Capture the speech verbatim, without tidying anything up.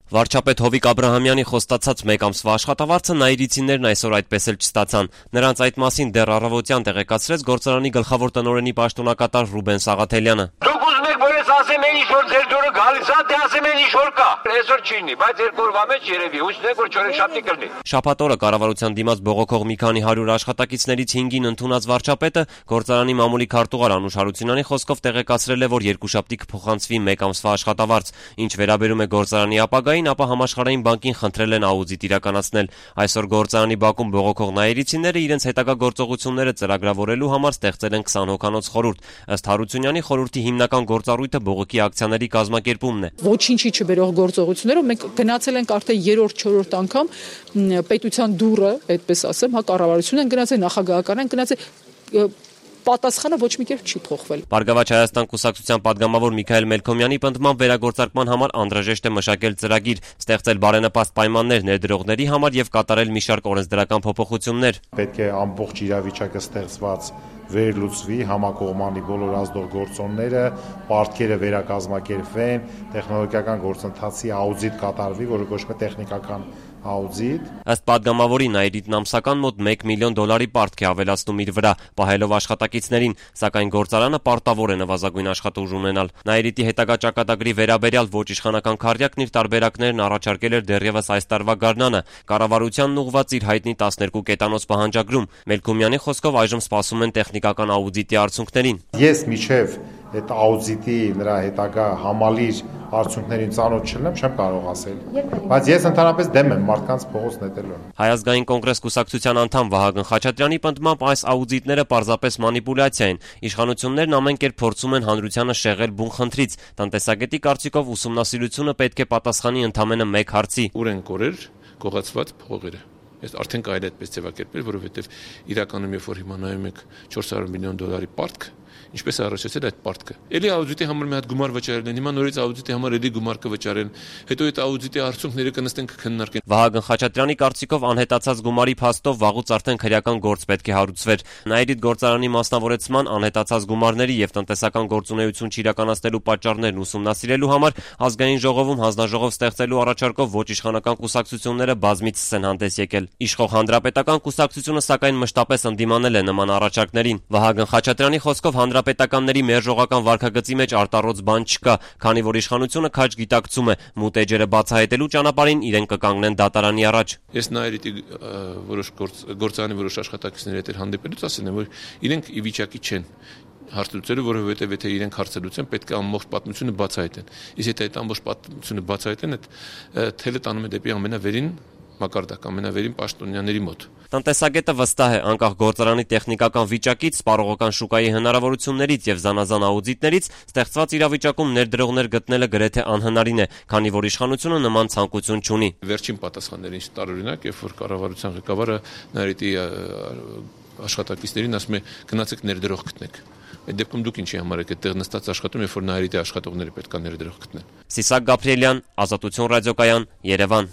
Վարչապետ Հովիկ Աբրահամյանի խոստացած մեկ ամսվա աշխատավարձը նայիրիցիներն այսօր այդպես էլ չստացան։ Նրանց այդ մասին դեռ առավոտյան տեղեկացրեց գործարանի գլխավոր տնօրենի պաշտոնակատար Ռուբեն Սաղաթելյանը։ Դուք ուզում եք, որ ես ասեմ այն ինչ որ ձեր դուրը գալիս է, թե ասեմ այն ինչ որ կա։ Այսօր չի լինի, բայց երկու օրվա մեջ երևի, հույսն է, որ չորեքշաբթի կլինի։ Շաբաթ օրը կառավարության դիմաց բողոքող մի քանի հարյուր աշխատակիցներից հինգին ընդունած վարչապետը գործարանի մամուլի քարտուղար Անուշ Հարությունյանի խոսքով տեղեկացրել է, որ երկուշաբթի կփոխանցվի մեկ ամսվա աշխատավարձ։ Ինչ վերաբերում է գործարանի ապագային, ապա Համաշխարհային բանկին խնդրել են աուդիտ իրականացնել։ Այսօր գործարանի բակում բողոքող նայիրիցիները իրենց հետագա գործողությունները ծրագրավորելու համար ստեղծել են քսան հոգանոց խորհուրդ։ Ըստ Հարությունյանի, խորհրդի հիմնական գործառույթը բողոքի ակցիաների կազմակերպումն է։ Ոչինչի չբերող գործողություններով մենք գնացել ենք արդեն երրորդ չորրորդ անգամ պետության դուռը, այդպես ասեմ, հա կառավարությունն են գնացել, նախագահական են գնացել, պատասխանը ոչ մի կերպ չի փոխվել։ Բարգավաճ Հայաստան կուսակցության падգամավոր Միքայել Մելքոմյանի պնդմամբ վերագործարկման համար անհրաժեշտ է մշակել ծրագիր, ստեղծել բարենպաստ պայմաններ ներդրողների համար եւ կատարել մի շարք օրենսդրական փոփոխություններ։ Պետք է ամբողջ իրավիճակը ստեղծված վերլուծվի, համակողմանի բոլոր ազդող գործոնները, պարտքերը վերակազմակերպվեն, տեխնոլոգիական գործընթացի աուդիտ կատարվի, որը կոչվում է տեխնիկական աուդիտ։ Ըստ падգամավորի Նայիրիտն ամսական մոտ մեկ միլիոն դոլարի պարտք է ավելացնում իր վրա, պահելով աշխատակիցներին, սակայն գործարանը պարտավոր է նվազագույն աշխատուժ ունենալ։ Նայիրիտի հետագա ճակատագրի վերաբերյալ ոչ իշխանական քարտուղարն իր տարբերակներն առաջարկել էր դեռևս այս տարվա գարնանը, կառավարությանն ուղղված իր հայտնի տասներկու կետանոց պահանջագրում։ Մելքոմյանի խոսքով այժմ սպասում են տեխնիկական աուդիտի արդյունքներին։ Ես միջև այդ աուդիտի նրա հետագա համալիր արդյունքներին ծանոթ չլինեմ, չեմ կարող ասել։ Բայց ես ընդհանրապես դեմ եմ մարդկանց փողոց նետելուն։ Հայ ազգային կոնգրես կուսակցության անդամ Վահագն Խաչատրյանի պնդմամբ այս աուդիտները պարզապես մանիպուլյացիա են։ Իշխանություններն ամեն կերպ փորձում են հանրությանը շեղել բուն խնդրից։ Տնտեսագետի կարծիքով ուսումնասիրությունը պետք է պատասխանի ընդամենը մեկ հարցի. ուր են կորեր գողացված փողերը։ Ես արդեն կարելի է այդպես ձևակերպել, որովհետև իրականում երբ որ հիմա նայում եք չորս հարյուր միլիոն դոլարի պարտք, ինչպես է առաջացել այդ պարտքը։ Էլի աուդիտի համար մի հատ գումար վճարել են, հիմա նորից աուդիտի համար էլի գումար կվճարեն, հետո այդ աուդիտի արդյունքները կնստեն կքննարկեն։ Վահագն Խաչատրյանի կարծիքով անհետացած գումարի փաստով վաղուց արդեն քրեական գործ պետք է հարուցվեր։ Նայիրիտ գործարանի մասնավորեցման, անհետացած գումարների եւ տնտեսական գործունեություն չիրականացնելու պատճառներն ուսումնասիրելու համար ազգային ժողովում հանձնաժողով ստեղծելու առաջարկով ոչ իշխանական կուսակցությունները բազմիցս են հանդես եկել։ Իշխող հանրապետական կուսակցությունը սակայն մշտապես ընդդիմանել է նման առաջարկներին։ Վահագն Խաչատրյանի խոսքով հանրապետականների մերժողական վարքագծի մեջ արտառոց բան չկա, քանի որ իշխանությունը քաջ գիտակցում է, մութ էջերը բացահայտելու ճանապարհին իրեն կկանգնեն դատարանի առաջ։ Ես Նայիրիտի որոշ գործարանի որոշ աշխատակիցների հետ հանդիպելուց ասել եմ, որ իրենք ի վիճակի չեն հարցլուծելու, որովհետև եթե իրենք հարցլուծեն, պետք է ամբողջ պատմությունը բացահայտեն։ Իսկ եթե այդ ամբողջ պատմությունը բացահայտեն, այդ թելը տանում է դեպի ամենավերին մակարդակ, ամենավերին պաշտոնյաների մոտ։ Տնտեսագետը վստահ է, անկախ գործարանի տեխնիկական վիճակից, սպառողական շուկայի հնարավորություններից եւ զանազան աուդիտներից ստեղծված իրավիճակում ներդրողներ գտնելը գրեթե անհնարին է, քանի որ իշխանությունը նման ցանկություն չունի։ Վերջին պատասխանները ինչ տարօրինակ, երբ որ կառավարության ղեկավարը Նայիրիտի աշխատակիցներին ասում է գնացեք ներդրող գտնեք։ Այդ դեպքում դուք ինչի համար եք այդտեղ նստած աշխատում, երբ որ Նայիրիտի աշխատողները պետք է ներդրող գտնեն։ Սիսակ Գաբրիելյան, Ազատություն ռադիոկայան, Երևան։